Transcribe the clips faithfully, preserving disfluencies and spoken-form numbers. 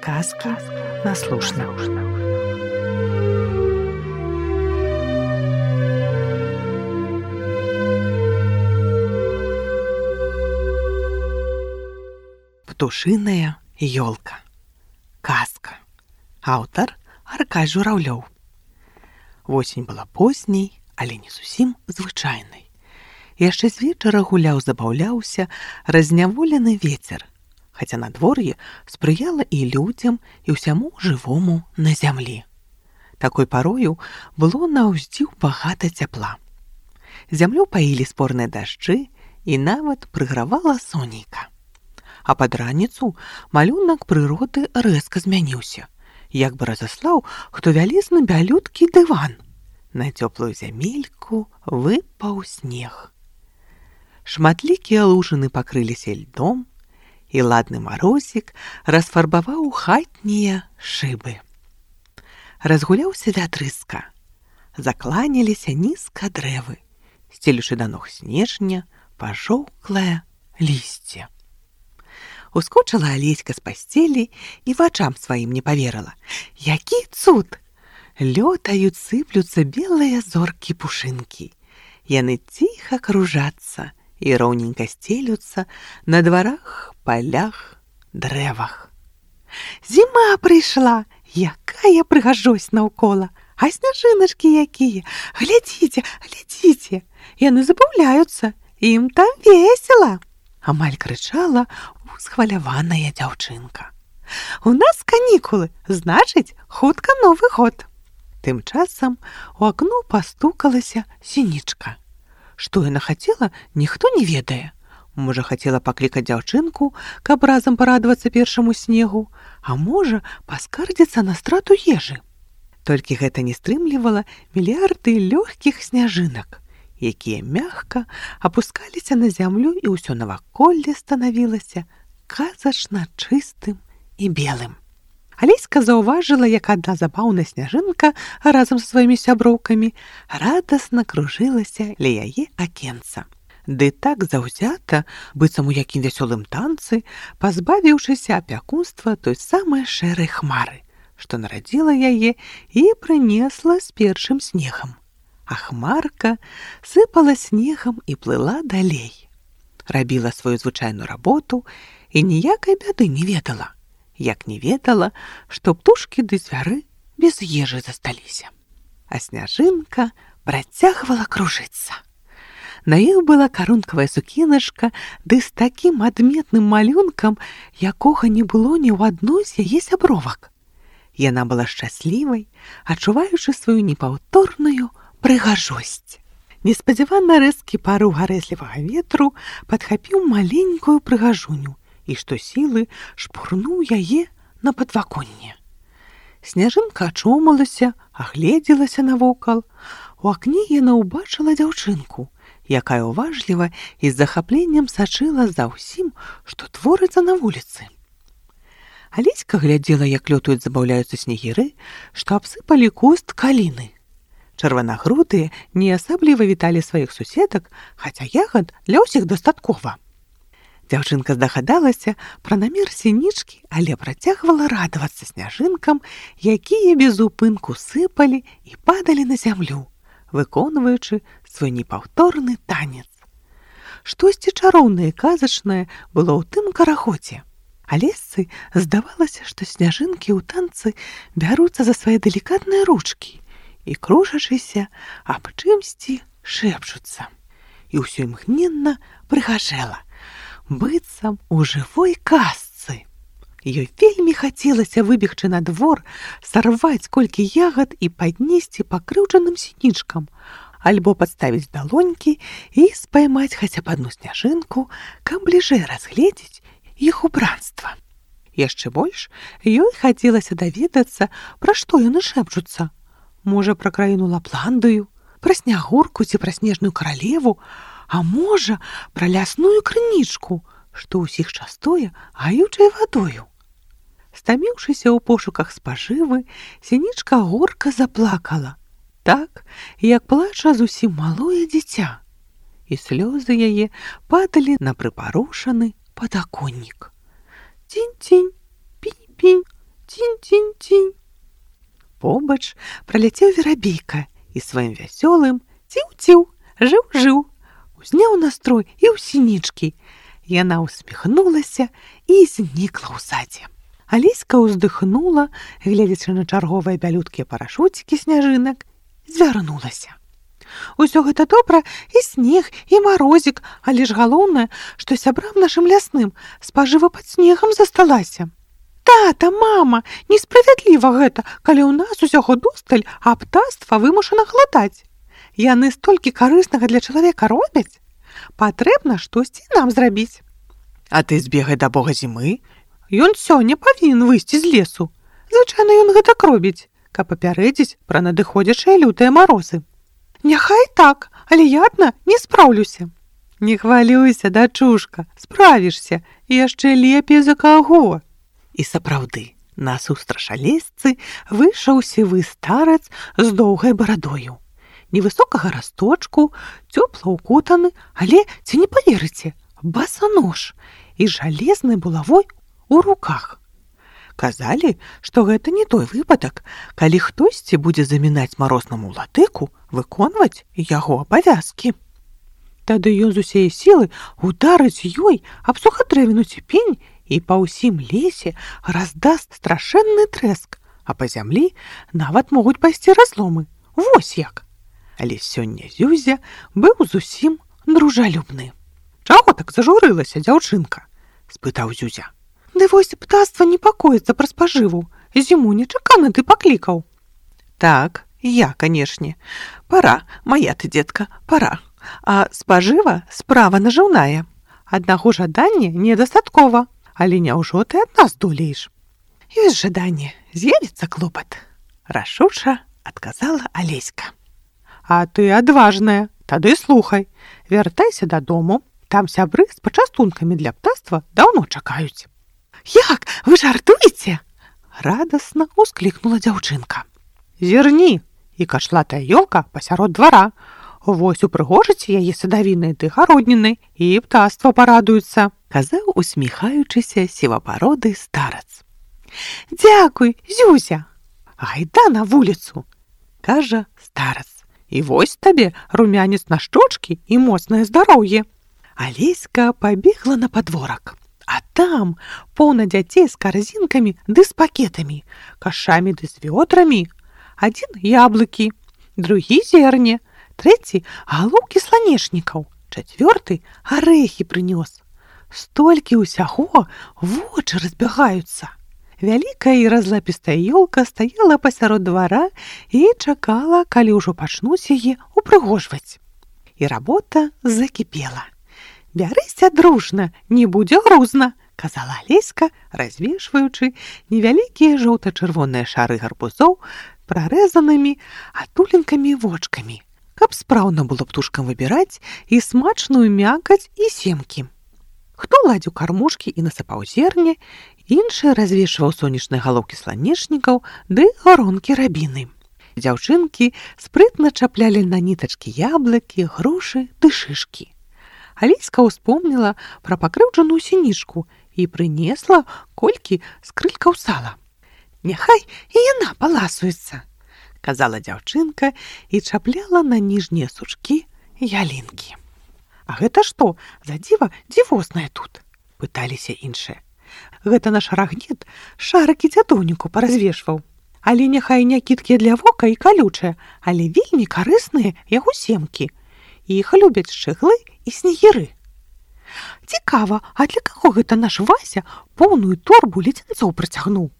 Сказки на слушно. Птушиная ёлка. Казка. Аўтар Аркадзь Журавлёў. Восень была позняй, але не зусім звычайнай. Яшчэ з вечара гуляў, забаўляўся разняволены вецер, хаця надвор'е спрыяла і людзям, і ўсяму жывому на зямлі. Такой парою было на ўздзіў багата цяпла. Зямлю паілі спорныя дажджы, і нават прыгравала сонейка. А пад раніцу малюнак прыроды рэзка змяніўся, як бы разаслаў хто вялізны бялюткі дыван. На цёплую зямельку выпаў снег. Шматлікія лужыны пакрыліся льдом, і ладны марозік расфарбаваў хатнія шыбы. Разгуляўся вятрыска. Закланяліся нізка дрэвы, сцелючы да ног снежня пажоўклае лісце. Ускочыла Алеська з пасцелі і вачам сваім не паверыла. Які цуд! Лётаюць, сыплюцца белыя зоркі-пушынкі. Яны ціха кружацца і роўненька сцелюцца на дварах, палях, дрэвах. Зіма прыйшла, якая прыгажосць наўкола, а сняжыначкі якія! Глядзіце, глядзіце! Яны забаўляюцца, ім там весела! Амаль крычала усхваляваная дзяўчынка. У нас канікулы, значыць, хутка Новы год. Тым часам у акно пастукалася сінічка. Што яна хацела, ніхто не ведае. Можа, хацела паклікаць дзяўчынку, каб разам парадавацца першаму снегу, а можа, паскардзіцца на страту ежы. Толькі гэта не стрымлівала мільярды лёгкіх сняжынак, якія мякка апускаліся на зямлю, і ўсё наваколле станавілася казачна чыстым і белым. Алеська заўважыла, як адна забаўная сняжынка разам са сваімі сяброўкамі радасна кружылася ля яе акенца. Ды так заўзята, быццам у якім вясёлым танцы, пазбавіўшыся апякунства той самай шэрай хмары, што нарадзіла яе і прынесла з першым снегам. А хмарка сыпала снегам і плыла далей. Рабіла сваю звычайную работу і ніякай бяды не ведала. Як не ведала, што птушкі ды звяры без ежы засталіся. А сняжынка працягвала кружыцца. На іх была карункавая сукеначка, ды з такім адметным малюнкам, якога не было ні ў адной з яе сябровак. Яна была шчаслівай, адчуваючы сваю непаўторную прыгажосць. Неспадзявана рэзкі парыў гарэзлівага ветру падхапіў маленькую прыгажуню і што сілы шпурнуў яе на падваконне. Сняжынка ачомалася, агледзелася навокал. У акне яна ўбачыла дзяўчынку, якая уважліва і з захапленнем сачыла за ўсім, што творыцца на вуліцы. Алеська глядзела, як лётаюць, забаўляюцца снегіры, што абсыпалі куст каліны. Чырванагрудыя не асабліва віталі сваіх суседак, хаця ягад для ўсіх дастаткова. Дзяўчынка здагадалася пра намер сінічкі, але працягвала радавацца сняжынкам, якія без упынку сыпалі і падалі на зямлю, выконваючы свой непаўторны танец. Штосьці чароўнае і казачнае было ў тым карагодзе. Алесцы здавалася, што сняжынкі ў танцы бяруцца за свае далікатныя ручкі і, кружачыся, аб чымсьці шэпчуцца. І ўсё імгненна прыгажэла, быццам у жывой казцы. Ёй вельмі хацелася выбегчы на двор, сарваць колькі ягад і паднесці пакрыўджаным сінічкам, альбо падставіць далонькі і спаймаць хаця б адну сняжынку, каб бліжэй разгледзець іх убранства. Яшчэ больш ёй хацелася даведацца, пра што яны шэпчуцца. Можа, пра краіну Лапландыю, пра снягурку ці пра снежную каралеву, а можа, пра лясную крынічку, што ўсіх частуе гаючай вадою. Стаміўшыся ў пошуках спажывы, сінічка горка заплакала, так, як плача зусім малое дзіця, і слёзы яе падалі на прыпарушаны падаконнік. Цінь-цінь, пінь-пінь, Побач праляцеў верабейка і сваім вясёлым ціў-ціў, жыў-жыў, узняў настрой і ў сінічкі. Яна ўсміхнулася і знікла ў садзе. Алеська ўздыхнула, гледзячы на чарговыя бялюткія парашуцікі сняжынак, звярнулася. Усё гэта добра, і снег, і марозік, але ж галоўнае, што сябрам нашым лясным спажыва пад снегам засталася. Тата, мама, несправядліва гэта, калі ў нас усяго досталь, а птаства вымушана гладаць. Яны столькі карыснага для чалавека робяць. Патрэбна штосьці нам зрабіць. А ты збегай да бога зімы. Ён сёння павінен выйсці з лесу. Звычайна ён гэтак робіць, каб папярэдзіць пра надыходзячыя лютыя марозы. Няхай так, але я адна не спраўлюся. Не хвалюйся, дачушка, справішся, яшчэ лепей за каго. І сапраўды, насустрач алесцы выйшаў сівы старац з доўгай барадою. Невысокага расточку, цёпла ўкутаны, але, ці не паверыце, басанож і жалезнай булавой у руках. Казалі, што гэта не той выпадак, калі хтосьці будзе замінаць марознаму латыку выконваць яго абавязкі. Тады ён з усей сілы ударыць ёй аб сухатрэвіну ці пень і па ўсім лесе раздаст страшэнны трэск, а па зямлі нават могуць пайсці разломы. Вось як. Але сёння Зюзя быў зусім дружалюбны. Чаго так зажурылася, дзяўчынка? Спытаў Зюзя. Ды вось птаства непакоіцца пра спажыву. Зіму нечакана ты паклікаў. Так, я, канешне. Пара, мая ты, дзетка, пара. А спажыва справа нажыўная. Аднаго жадання недастаткова. Але няўжо ты ад нас долееш? Ёсць жаданне, з'явіцца клопат. Рашуча адказала Алеська. А ты адважная, тады слухай. Вяртайся дадому, там сябры з пачастункамі для птаства даўно чакаюць. Як, вы жартуеце? Радасна усклікнула дзяўчынка. Зірні, і кашлатая ёлка пасярод двара. Вось упрыгожыць яе садавінай ды гароднінай, і птаства парадуецца, казаў усміхаючыся сівапароды старац. Дзякуй, Зюзя. Гайда на вуліцу, кажа старац. І вось табе румянец на шчочкі і моцнае здароўе. Алеська пабегла на падворак, а там поўна дзяцей з карзінкамі ды з пакетамі, кашамі ды з вёдрамі. Адзін яблыкі, другі зерне, трэці галоўкі сланечнікаў, чацвёрты арэхі прынёс. Столькі ўсяго, вочы разбягаюцца. Вялікая і разлапістая ёлка стаяла пасярод двара і чакала, калі ўжо пачнуць яе упрыгожваць. І работа закіпела. Бярыся дружна, не будзе грузна, казала Алеська, развешваючы невялікія жоўта-чырвоныя шары гарбузоў прарэзанымі атуленкамі вочкамі, каб спраўна было птушкам выбіраць і смачную мякаць і семкі. Хто ладзіў кармушкі і насыпаў зерне, іншы развешваў сонечныя галоўкі сланечнікаў ды гаронкі рабіны. Дзяўчынкі спрытна чаплялі на нітачкі яблыкі, грушы ды шышкі. Алеська ўспомніла пра пакрыўджаную сінічку і прынесла колькі скрылькаў сала. Няхай і яна паласуецца, казала дзяўчынка і чапляла на ніжнія сучкі ялінкі. А гэта што, за дзіва дзівоснае тут? Пыталіся іншыя. Гэта наш рагнет шарыкі дзядоўніку паразвешваў. Але няхай не кідкія для вока і калючыя, але вельмі карысныя яго семкі. Іх любяць шчыглы і снегіры. Цікава, а для каго гэта наш Вася поўную торбу ледзянцоў прыцягнуў?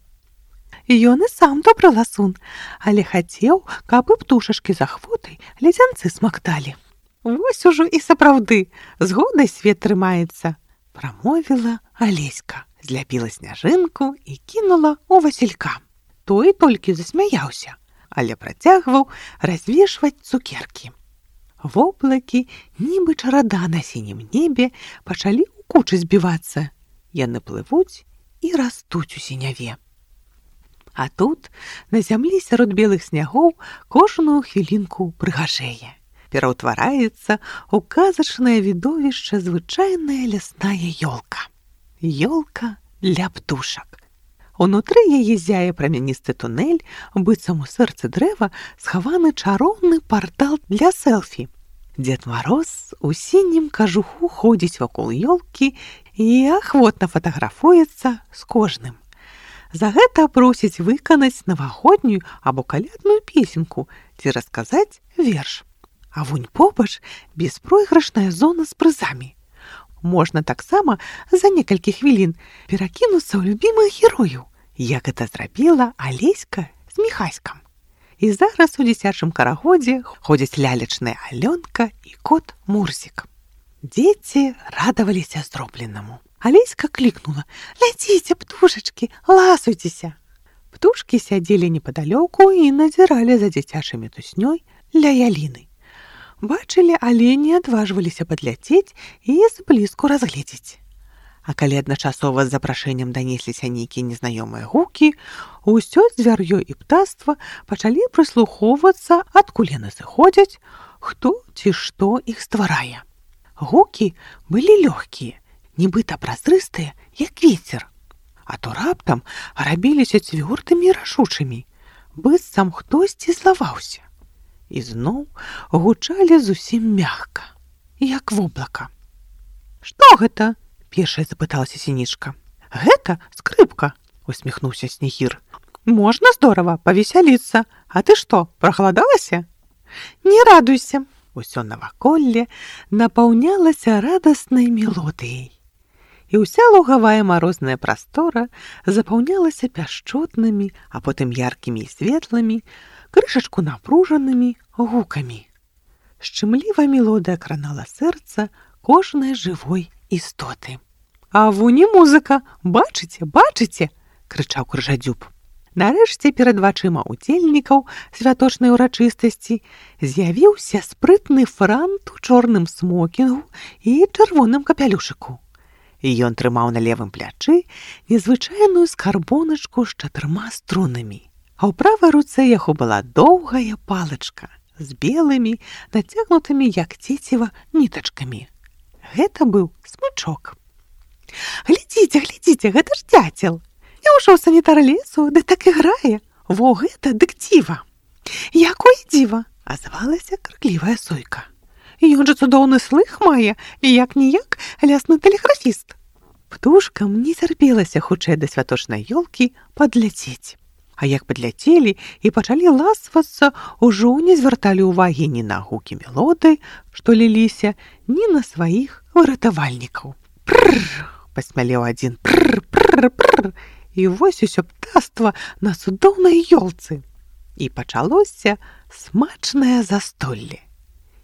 Ён і сам добры ласун, але хацеў, каб і птушачкі з ахвотай ледзянцы смакталі. Вось ужо і сапраўды, згодай свет трымаецца, прамовіла Алеська, зляпіла сняжынку і кінула ў Васілька. Той толькі засмяяўся, але працягваў развешваць цукеркі. Воблакі, нібы чарада на сінім небе, пачалі ў кучы збівацца. Яны плывуць і растуць у сіняве. А тут, на зямлі сярод белых снягоў, кожную хвілінку прыгажэе. Пераўтвараецца ў казачнае відовішча звычайная лясная ёлка. Ёлка для птушак. Унутры яе зяе прамяністы тунэль, быццам у сэрцы дрэва схаваны чароўны партал для селфі. Дзед Мароз у сінім кажуху ходзіць вакол ёлкі і ахвотна фатаграфуецца з кожным. За гэта просіць выканаць навагоднюю або калядную песенку ці расказаць верш. А вунь побач беспройгрышная зона з прызамі. Можна таксама за некалькі хвілін перакінуцца ў любімых герояў, як гэта зрабіла Алеська з Міхаськам. І зараз у дзіцячым карагодзе ходзяць лялечная Алёнка і кот Мурзік. Дзеці радаваліся зробленаму. Алеська клікнула: «Ляціце, птушачкі, ласуйцеся!» Птушкі сядзелі непадалёку і назіралі за дзіцячай туснёй ля яліны. Бачылі, але не адважваліся падляцець і зблізку разгледзець. А калі адначасова з запрашэннем данесліся нейкія незнаёмыя гукі, усё звяр'ё і птаства пачалі прыслухоўвацца, адкуль яны зыходзяць, хто ці што іх стварае. Гукі былі лёгкія, нібыта празрыстыя, як вецер, а то раптам рабіліся цвёрдымі і рашучымі, быццам хтосьці злаваўся. І зноў гучалі зусім мякка, як воблака. «Што гэта?» – першая запыталася Сінічка. «Гэта скрыпка», – усміхнуўся Снегір. «Можна здорава павесяліцца. А ты што, прахаладалася?» «Не радуйся». Усё наваколле напаўнялася радаснай мелодыяй. І ўся лугавая марозная прастора запаўнялася пяшчотнымі, а потым яркімі і светлымі, крышачку напружанымі гукамі. Шчымліва мелодыя кранала сэрца кожнай жывой істоты. «А вунь і музыка! Бачыце, бачыце!» – крычаў Крыжадзюб. Нарэшце перад вачыма удзельнікаў святочнай урачыстасці з'явіўся спрытны франт у чорным смокінгу і чырвоным капялюшыку. І ён трымаў на левым плячы незвычайную скарбоначку з чатырма струнамі. А ў правай руцэ яго была доўгая палачка з белымі, нацягнутымі, як цеціва, нітачкамі. Гэта быў смычок. «Глядзіце, глядзіце, гэта ж дзяцел! Няўжо санітар лесу, ды так і грае! Во гэта дык дзіва!» «Якое дзіва!» – азвалася крыклівая сойка. «Ён жа цудоўны слых мае, як-ніяк лясны тэлеграфіст!» Птушкам не цярпелася хутчэй да святочнай ёлкі падляцець. А як падляцелі і пачалі ласвацца, ужо не звярталі ўвагі ні на гукі мелоды, што ліліся, ні на сваіх выратавальнікаў. «Прррр!» – пасмялеў адзін. «Прррр-прррр-прррр!» І вось усё птаства на цудоўнай ёлцы. І пачалося смачнае застолле.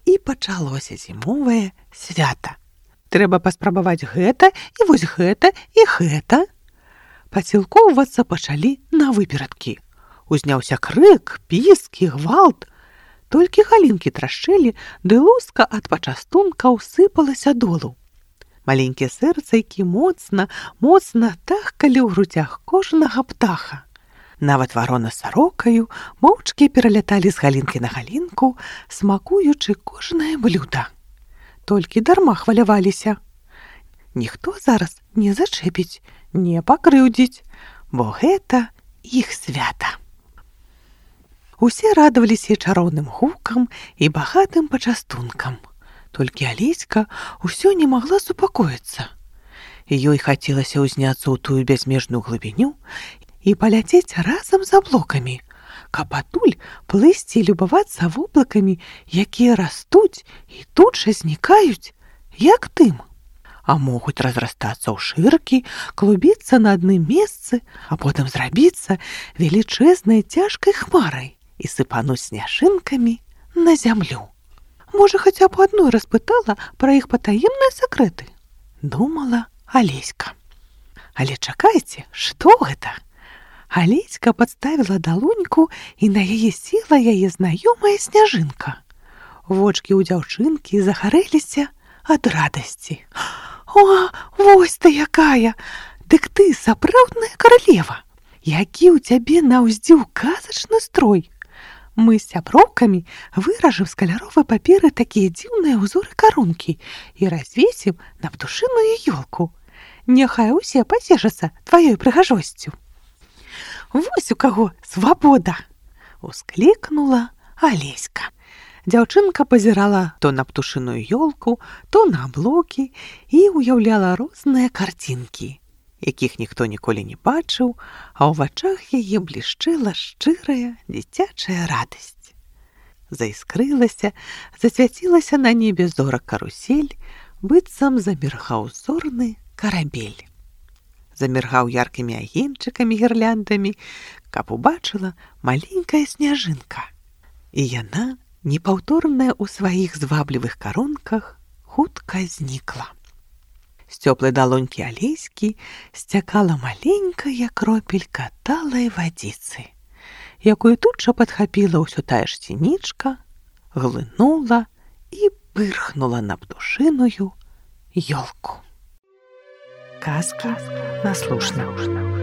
І пачалося зімовае свята. Трэба паспрабаваць гэта, і вось гэта, і гэта. Пацілкоўвацца пачалі на выперадкі. Узняўся крык, піск і гвалт. Толькі галінкі трашчэлі, ды луска ад пачастункаў сыпалася долу. Маленькія сэрцайкі моцна, моцна тахкалі ў грудзях кожнага птаха. Нават варона з сарокаю моўчкі пераляталі з галінкі на галінку, смакуючы кожнае блюда. Толькі дарма хваляваліся. Ніхто зараз не зачэпіць, не пакрыўдзіць, бо гэта іх свята. Усе радаваліся чароўным гукам і багатым пачастункам. Толькі Алеська ўсё не магла супакоіцца. Ёй хацелася ўзняцца ў тую бязмежную глыбіню і паляцець разам з аблокамі, каб адтуль плысці і любавацца воблакамі, якія растуць і тут жа знікаюць, як дым. А могуць разрастацца ў шыркі, клубіцца на адным месцы, а потым зрабіцца велічэзнай цяжкай хмарай і сыпануць сняжынкамі на зямлю. Можа, хаця б адной распытала пра іх патаемныя сакрэты, думала Алеська. Але чакайце, што гэта? Алеська падставіла далоньку, і на яе села яе знаёмая сняжынка. Вочкі ў дзяўчынкі загарэліся ад радасці. «О, вось ты якая! Дык ты сапраўдная каралева! Які ў цябе на ўздзіў казачны строй! Мы з сяброўкамі выражым з каляровай паперы такія дзіўныя ўзоры карункі і развесім на птушыную ёлку. Няхай усе пацешацца тваёй прыгажосцю». Вось у каго свабода! Усклікнула Алеська. Дзяўчынка пазірала то на птушыную ёлку, то на аблокі і ўяўляла розныя карцінкі, якіх ніхто ніколі не бачыў, а ў вачах яе блішчэла шчырая дзіцячая радасць. Заіскрылася, засвяцілася на небе зорак-карусель, быццам заміргаў зорны карабель. Заміргаў яркімі агеньчыкамі гірляндамі, каб убачыла маленькая сняжынка. І яна, непаўторная ў сваіх зваблівых каронках, хутка знікла. З цёплай далонькі Алеські сцякала маленькая кропелька талай вадзіцы, якую тут жа падхапіла ўсё тая ж сінічка, глынула і пырхнула на птушыную ёлку. Казка наслушна.